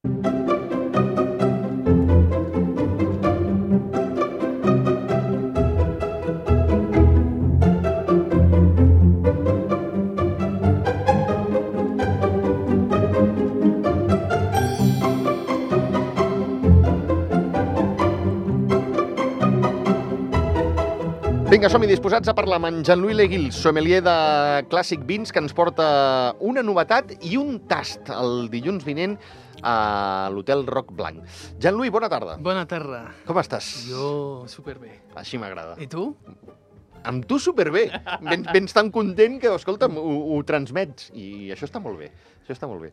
Vinga, som-hi disposats a parlar amb en Jean-Louis Leguil, sommelier de Clàssic Vins, que ens porta una novetat i un tast el dilluns vinent a l'Hotel Roc Blanc. Jean-Louis, bona tarda. Bona tarda. Com estàs? Jo superbé. Així m'agrada. I tu? Amb tu superbé. Vens tan content que, escolta'm, ho transmets. I això està molt bé. Això està molt bé.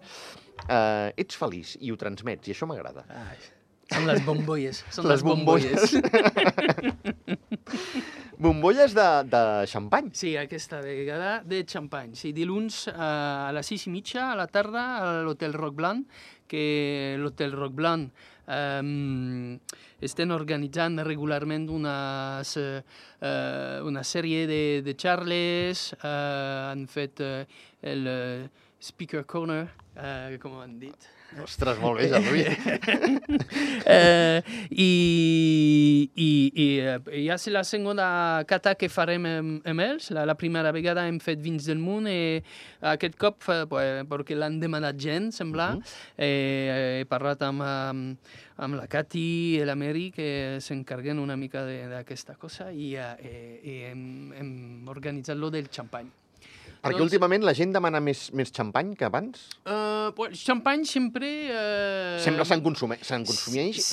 Ets feliç i ho transmets, i això m'agrada. Són les bombolles. Són les bombolles. Bombolles de xampany. Sí, aquesta vegada de xampany. Sí, dilluns a les 6:30 a la tarda a l'Hotel Roc Blanc, que l'Hotel Roc Blanc estem organitzant regularment una sèrie de xarles, han fet el Speaker Corner, com han dit. Ostres, molt bé, Jean-Louis. I ja és la segona cata que farem amb ells. La primera vegada hem fet vins del món i aquest cop, perquè l'han demanat gent, sembla, he parlat amb la Cati i l'Ameri, que s'encarreguen una mica d'aquesta cosa, i hem organitzat-lo del xampany. Perquè últimament la gent demana més xampany que abans? Xampany sempre... Sempre se'n consumeix, se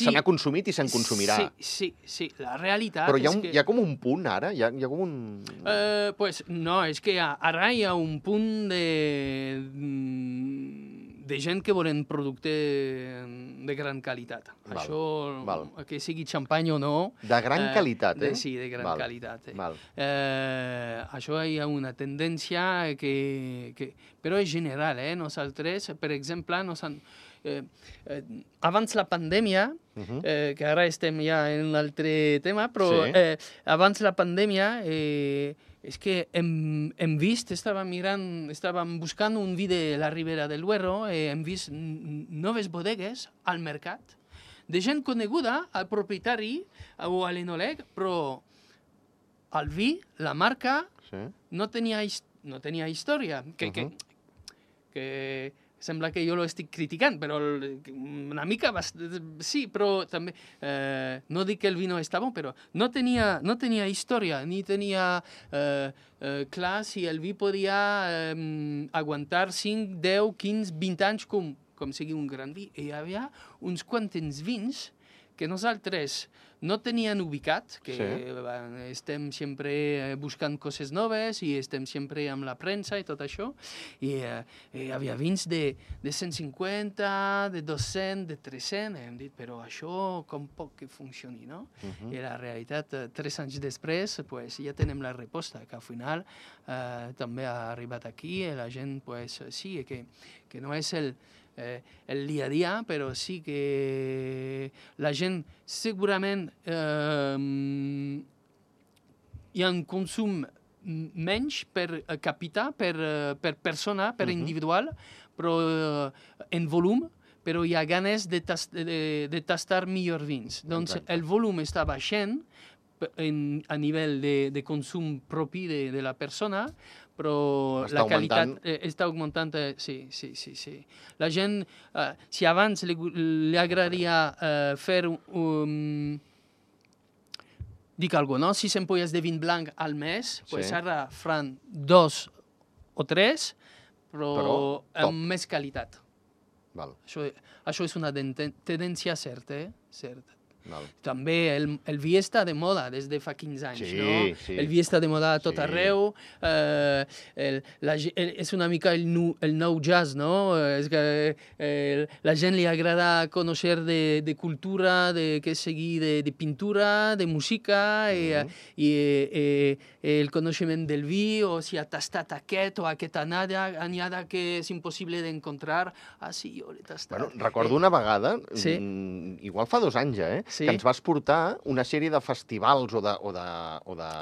n'ha consumit i se'n consumirà. Sí, la realitat però és que... hi ha com un punt ara? Hi ha com un... No, és que ara hi ha un punt de gent que volen producte de gran qualitat. Això, que sigui xampany o no... De gran qualitat, eh? Sí, de gran qualitat. Val. Això hi ha una tendència que... Però és general, eh? Nosaltres, per exemple, abans la pandèmia, que ara estem ja en un altre tema, però abans la pandèmia... És que hem vist, estàvem buscant un vi de la Ribera del Duero, hem vist noves bodegues al mercat, de gent coneguda, al propietari o a l'enòleg, però el vi, la marca, no tenia història. Que sembla que jo lo estic criticant, però una mica sí, però també no dic que el vi no està bo, però no tenia història, ni tenia clar si el vi podia aguantar 5, 10, 15, 20 anys com sigui un gran vi. I hi havia uns quants vins que nosaltres no tenien ubicat, que estem sempre buscant coses noves i estem sempre amb la premsa i tot això, i hi havia vins de 150, de 200, de 300, hem dit, però això com pot que funcioni, no? I la realitat, 3 anys després, ja tenem la resposta, que al final també ha arribat aquí, i la gent, sí, que no és el dia a dia, però sí que la gent segurament hi ha un consum menys per capita, per persona, per individual, però en volum, però hi ha ganes de tastar millors vins. Doncs el volum està baixant a nivell de consum propi de la persona, però la qualitat està augmentant. Sí. La gent, si abans li agradaria fer dic alguna cosa, no? 6 ampolles de vin blanc al mes, ara faran 2 o 3, però amb més qualitat. Això és una tendència certa, certa. També el vi està de moda des de fa 15 anys, no? El vi està de moda a tot arreu, és una mica el nou jazz, no? La gent li agrada conèixer de cultura, que sigui de pintura, de música, i el coneixement del vi, o si ha tastat aquest o aquesta anyada que és impossible d'encontrar. Sí, jo l'he tastat. Recordo una vegada, igual fa 2 anys, que ens vas portar una sèrie de festivals o de...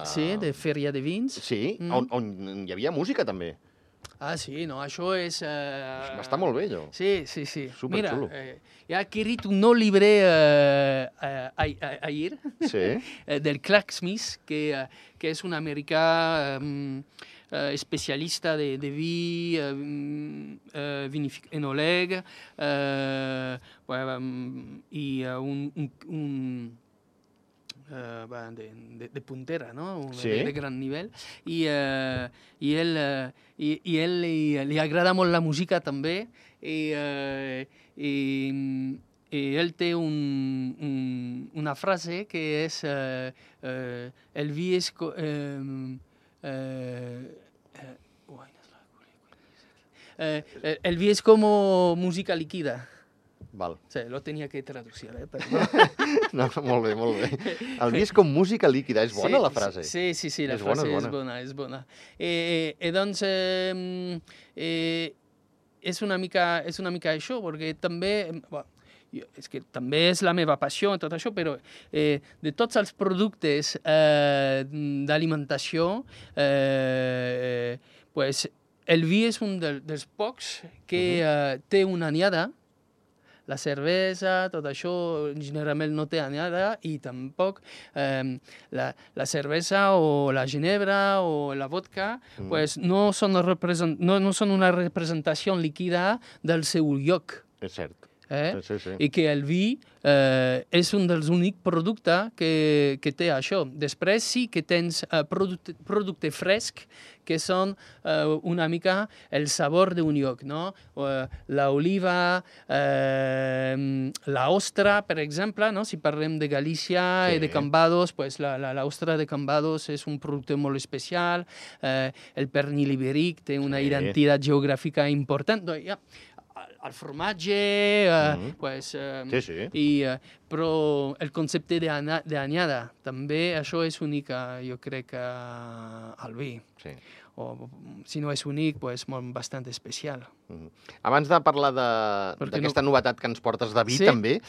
Sí, de fèria de vins. Sí, on hi havia música també. Ah, sí, no, això és... Està molt bé, allò. Sí. Superxulo. Mira, he adquirit un nou llibre ahir Sí. del Clark Smith, que és un americà especialista de vi, enòleg, i de puntera, ¿no? Sí. De gran nivell. I ell li agrada molt la música també, i ell té una frase que és el vi és... el vi és com música líquida. Val. Sí, lo tenia que traducir, perdó. No, molt bé, molt bé. El vi és com música líquida. És bona, la frase? Sí, la frase és bona. Doncs, és una mica això, perquè també... és que també és la meva passió en tot això, però de tots els productes d'alimentació, el vi és un dels pocs que té una anyada. La cervesa, tot això, generalment no té anyada, i tampoc la cervesa o la ginebra o la vodka no són una representació líquida del seu lloc. És cert. Sí. I que el vi és un dels únics productes que té això. Després sí que tens producte fresc, que són una mica el sabor d'un lloc, no? L'oliva, l'ostra, per exemple, no? Si parlem de Galícia i de Cambados, l'ostra de Cambados és un producte molt especial, el pernil ibèric té una identitat geogràfica important. El formatge, però el concepte d'anyada, també això és únic, jo crec, al vi. Sí. O, si no és únic, bastant especial. Abans de parlar d'aquesta novetat que ens portes de vi, també,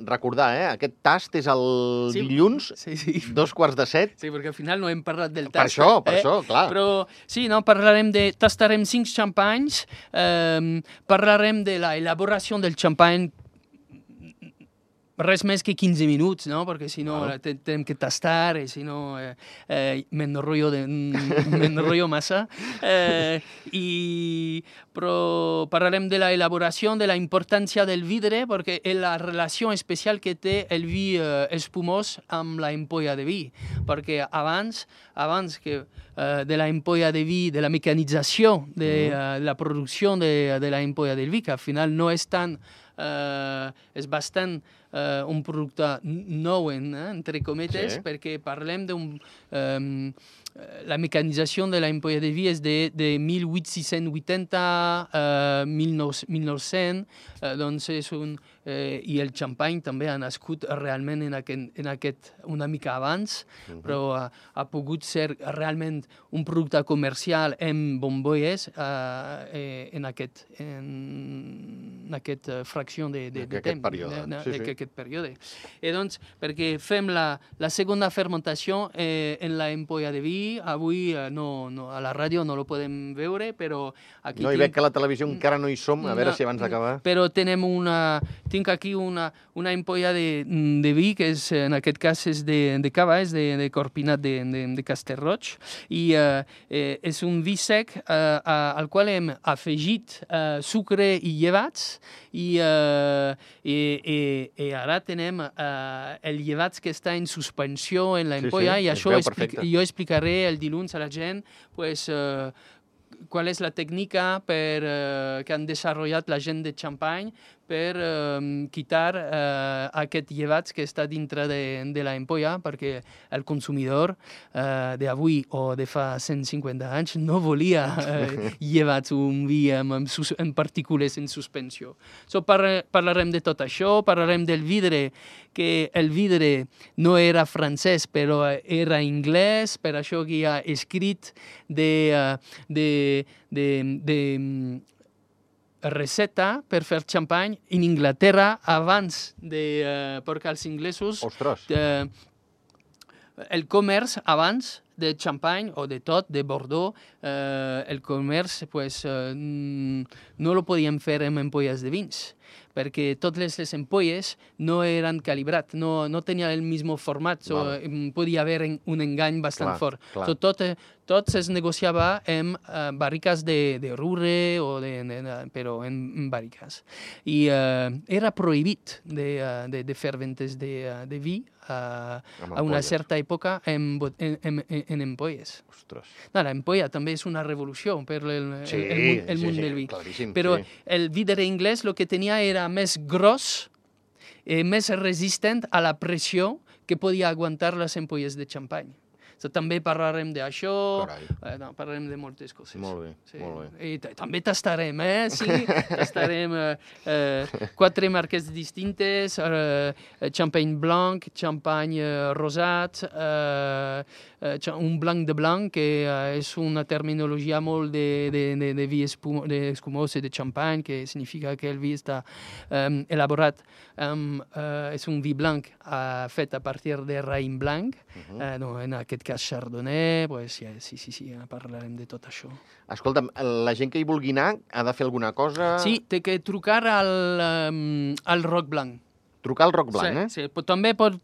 recordar, aquest tast és el dilluns, 7:02. Sí, perquè al final no hem parlat del tast. Per això, clar. Però sí, tastarem 5 xampanys, parlarem de l'elaboració del xampany, res més que 15 minuts, no? Perquè si no tenim que tastar, i si no m'enrotllo massa. Però parlarem de l'elaboració, de la importància del vidre, perquè és la relació especial que té el vi espumós amb la ampolla de vi. Perquè abans que de la ampolla de vi, de la mecanització de la producció de la ampolla del vi, que al final no és tant... és bastant un producte nou, entre cometes, perquè parlem la mecanització de l'ampolla de vi és de 1880 a 1900, doncs i el xampany també ha nascut realment en aquest una mica abans, però ha pogut ser realment un producte comercial en bombolles en aquesta fracció de temps, d'aquest període. I doncs, perquè fem la segona fermentació en l'ampolla de vi, avui a la ràdio no lo podem veure, però aquí... No, i veig que a la televisió encara no hi som, a veure si abans d'acabar... Però tinc aquí una ampolla de vi, que en aquest cas és de cava, és de Corpinat de Castellroig, i és un vi sec al qual hem afegit sucre i llevats, i ara tenim el llevats que està en suspensió en l'ampolla, i això jo explicaré el dilluns a la gent qual és la tècnica que han desenvolupat la gent de Champagne per quitar aquest llevats que està dintre de l'ampolla, perquè el consumidor d'avui o de fa 150 anys no volia llevats, un vi en partícules en suspensió. Parlarem de tot això, parlarem del vidre, que el vidre no era francès, però era anglès, per això que hi ha escrit de receta per fer xampany en Inglaterra abans perquè els inglesos... Ostres! El comerç abans de Champagne o de tot, de Bordeaux, el comerç pues, no lo podien fer amb ampolles de vins, perquè totes les ampolles no eren calibrat, no tenien el mismo format, podia haver un engany bastant fort. Tot es negociava amb barriques de Rure, però en barriques. I era prohibit de fer ventes de vi a una certa època en ampolles. Ostres. L'ampolla també és una revolució per el món del vi. Claríssim, però el vidre anglès el que tenia era més gros, més resistent a la pressió que podia aguantar les ampolles de xampany. També parlarem d'això, parlarem de moltes coses. Molt bé, molt bé. I també tastarem, Sí, tastarem 4 marques distintes, champagne blanc, champagne rosat, un blanc de blanc, que és una terminologia molt de vi escumós i de champagne, que significa que el vi està elaborat, és un vi blanc fet a partir de raïm blanc, en aquest cas Chardonnay, sí, parlarem de tot això. Escolta'm, la gent que hi vulgui anar ha de fer alguna cosa? Sí, té que trucar al Roc Blanc. Trucar al Roc Blanc, Sí, també poden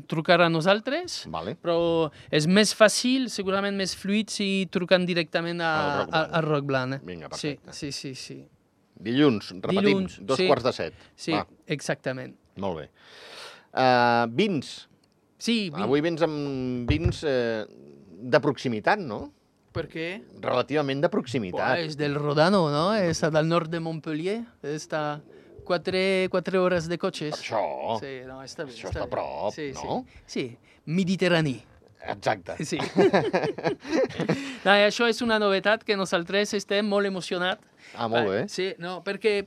trucar a nosaltres, però és més fàcil, segurament més fluid, si truquen directament al Roc Blanc. Vinga, perfecte. Sí. Dilluns, repetim, 6:45. Sí, exactament. Molt bé. Vins. Sí, avui vens amb vins de proximitat, no? Per què? Relativament de proximitat. És del Rodano, no? Està del nord de Montpellier. Està 4 hores de cotxes. Això. Sí, no, està bé. Això està a prop, no? Sí, Mediterrani. Exacte. Sí. Això és una novetat que nosaltres estem molt emocionats. Molt bé. Sí, no, perquè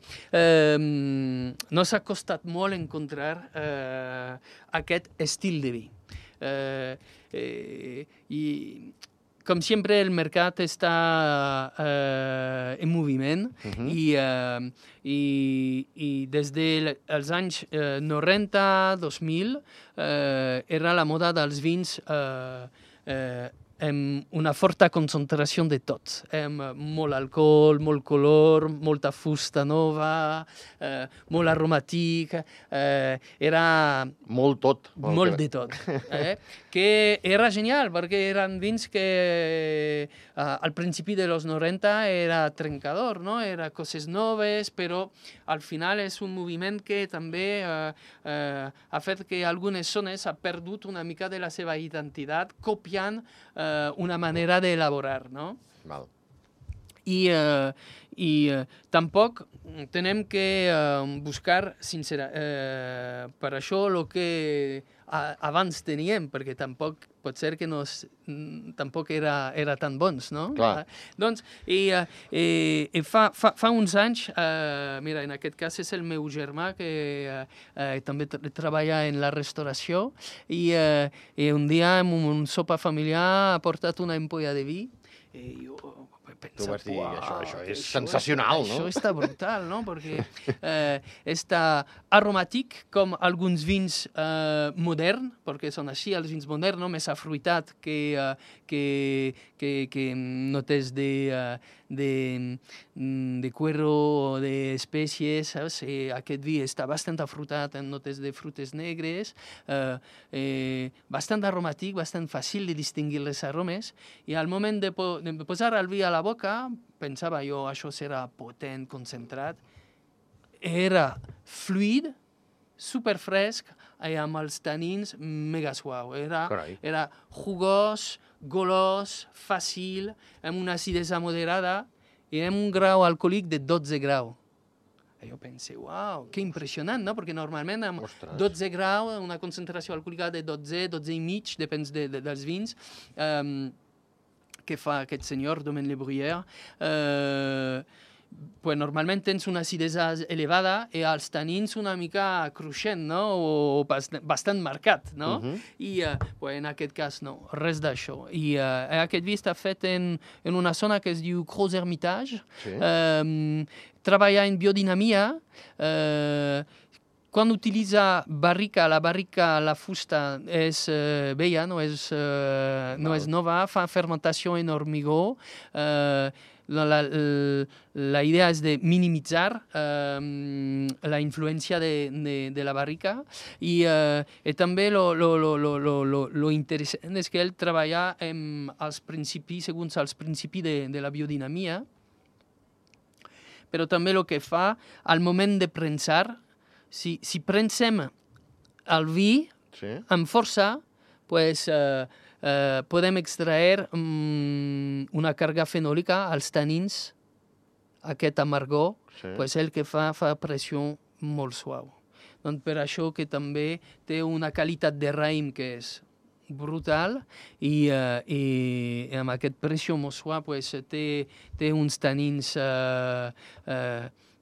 no s'ha costat molt encontrar aquest estil de vi. I com sempre el mercat està en moviment i des dels anys 90, 2000 era la moda dels vins amb una forta concentració de tot, amb molt alcohol, molt color, molta fusta nova, molt aromàtic, era... Molt tot. Molt de tot. Que era genial, perquè eren vins que al principi de los 90 era trencador, no? Era coses noves, però al final és un moviment que també ha fet que algunes zones ha perdut una mica de la seva identitat, copiant una manera d'elaborar, no? Val. I tampoc tenem que buscar per això el que abans teníem, perquè tampoc pot ser que tampoc era tan bons, no? Clar. Doncs, fa uns anys, mira, en aquest cas és el meu germà, que també treballa en la restauració, i un dia en un sopar familiar ha portat una ampolla de vi, i jo tu vas dir, això és sensacional, no? Això està brutal, no? Perquè està aromàtic, com alguns vins moderns, perquè són així, els vins moderns, no? Més afruitat que notes de cuero o d'espècies, saps? Aquest vi està bastant afrutat en notes de frutes negres, bastant aromàtic, bastant fàcil de distingir les aromes, i al moment de posar el vi a la boca, pensava jo, això serà potent, concentrat, era fluid, superfresc, i amb els tanins mega suau. Era jugós, golós, fàcil, amb una acidesa moderada i amb un grau alcohòlic de 12 graus. I jo pensé, uau, que impressionant, no? Perquè normalment amb 12 graus, una concentració alcohòlica de 12, 12 i mig, depèn dels vins, que fa aquest senyor, Domaine Le Bruyère, pues normalment tens una acidesa elevada i els tanins una mica cruixent, no? O bastant marcat, no? I en aquest cas no, res d'això. I aquest vi està fet en una zona que es diu Gros Hermitage, treballa en biodinamia, quan utilitza barrica, la fusta és vella, no és nova, fa fermentació en hormigó. La idea és de minimitzar la influència de la barrica i també lo interessant és que ell treballa segons els principis de la biodinamia, però també el que fa al moment de prensar, si prensem el vi amb força, pues, podem extraer una càrrega fenòlica, els tanins, aquest amargor, pues el que fa pressió molt suau. Doncs per això que també té una qualitat de raïm que és brutal i amb aquest pressió molt suau pues, té uns tanins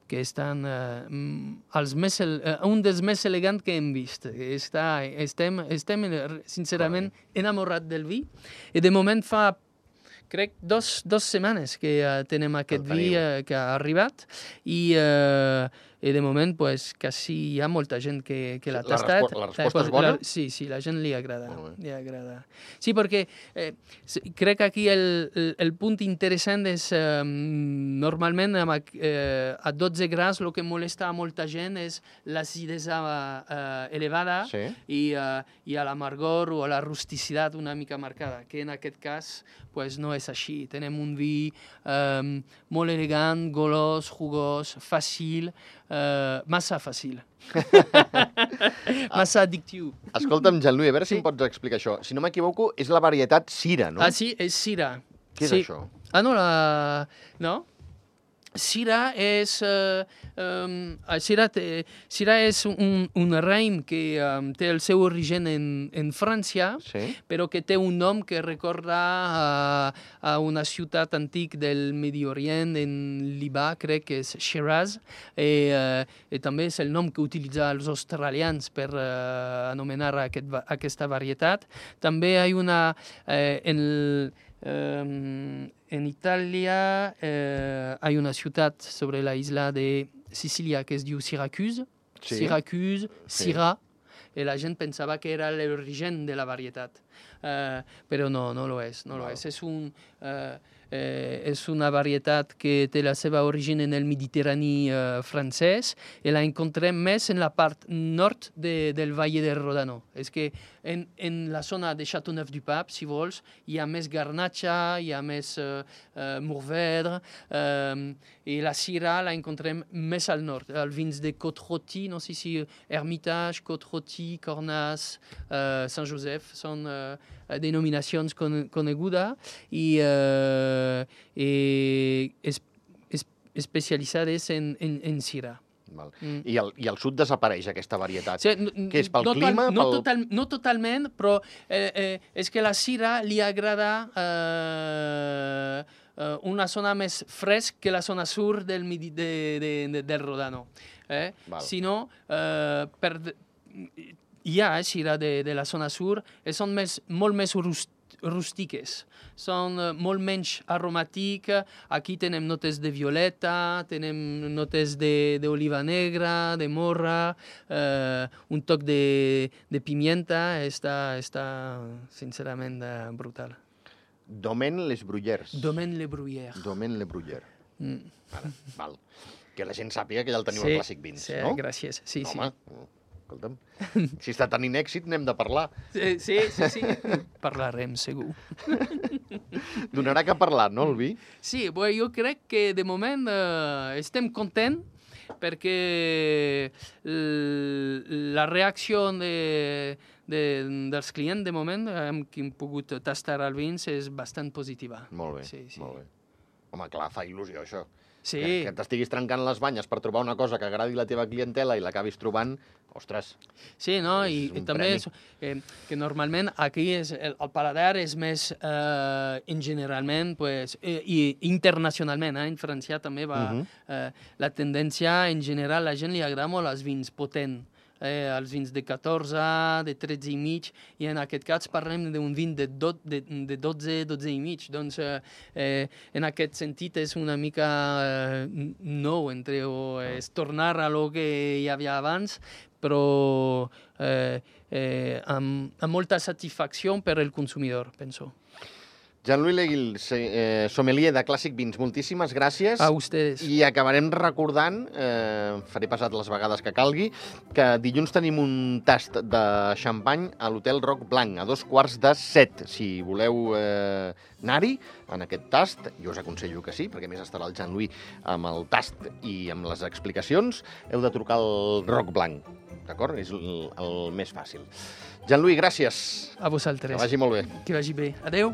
que estan un dels més elegants que hem vist. Estem sincerament enamorats del vi i de moment fa, crec, dos setmanes que tenim aquest vi que ha arribat i de moment pues, quasi hi ha molta gent que l'ha tastat. La resposta és bona? Sí, la gent li agrada. Sí, perquè crec que aquí el punt interessant és normalment a 12 graus el que molesta a molta gent és l'acidesa elevada i a l'amargor o a la rusticitat una mica marcada, que en aquest cas pues, no és així. Tenim un vi molt elegant, golós, jugós, fàcil, massa fàcil. Massa addictiu. Escolta'm, Jean-Louis, a veure si em pots explicar això. Si no m'equivoco, és la varietat Syrah, no? Sí, és Syrah. Què és això? No? Syrah és un raïm que té el seu origen en França, però que té un nom que recorda a una ciutat antic del Medi Orient, en Líban, crec que és Shiraz, i també és el nom que utilitzen els australians per anomenar aquesta varietat. També hi ha una... en Italia hay una ciutat sobre la isla de Sicilia que es diu Syracuse, Syrah, i la gent pensava que era l'origen de la varietat, però no lo és. És una varietat que té la seva origen en el Mediterrani francès i la encontrem més en la part nord del Valle del Rodano. És que en la zona de Châteauneuf-du-Pape, si vols, hi ha més garnatxa, hi ha més mourvèdre, i la Syrah la encontrem més al nord. Els vins de Côte-Rôtie, no sé si Hermitage, Côte-Rôtie, Cornas, Saint-Joseph, són denominacions conegudes i especialitzades en Syrah. I al sud desapareix aquesta varietat. Què és, pel clima? No totalment, però és que la Syrah li agrada una zona més fresc que la zona sur del Rodano. Si no, hi ha Syrah de la zona sur i són molt més rústiques. Són molt menys aromàtiques. Aquí tenim notes de violeta, tenim notes d'oliva negra, de morra, un toc de pimienta. Està sincerament brutal. Domaine Les Bruyères. Domaine Les Bruyères. Domaine Les Bruyères. Val. Que la gent sàpiga que ja el teniu al Clàssic Vins, no? Sí, gràcies. Sí. Escolta'm, si està tenint èxit, n'hem de parlar. Sí. Parlarem, segur. Donarà que parlar, no, el vi? Sí, jo crec que de moment estem contents perquè la reacció dels clients de moment amb qui hem pogut tastar el vins és bastant positiva. Molt bé, sí. Molt bé. Home, clar, fa il·lusió, això. Sí. Que t'estiguis trencant les banyes per trobar una cosa que agradi la teva clientela i l'acabis trobant, ostres. Sí, no? I també és que normalment aquí el paladar és més generalment, i internacionalment, en França també va la tendència, en general, la gent li agrada molt els vins potents. Els vins de 14, de 13 i mig, i en aquest cas parlem d'un vin de 12 i mig. Doncs en aquest sentit és una mica nou, és tornar a lo que hi havia abans, però amb molta satisfacció per al consumidor, penso. Jean-Louis Leguil, sommelier de Clàssic Vins, moltíssimes gràcies. A ustedes. I acabarem recordant, faré passat les vegades que calgui, que dilluns tenim un tast de xampany a l'Hotel Roc Blanc, a 7:15. Si voleu anar-hi, en aquest tast, jo us aconsello que sí, perquè a més estarà el Jean-Louis amb el tast i amb les explicacions, heu de trucar al Roc Blanc, d'acord? És el més fàcil. Jean-Louis, gràcies. A vosaltres. Que vagi molt bé. Que vagi bé. Adeu.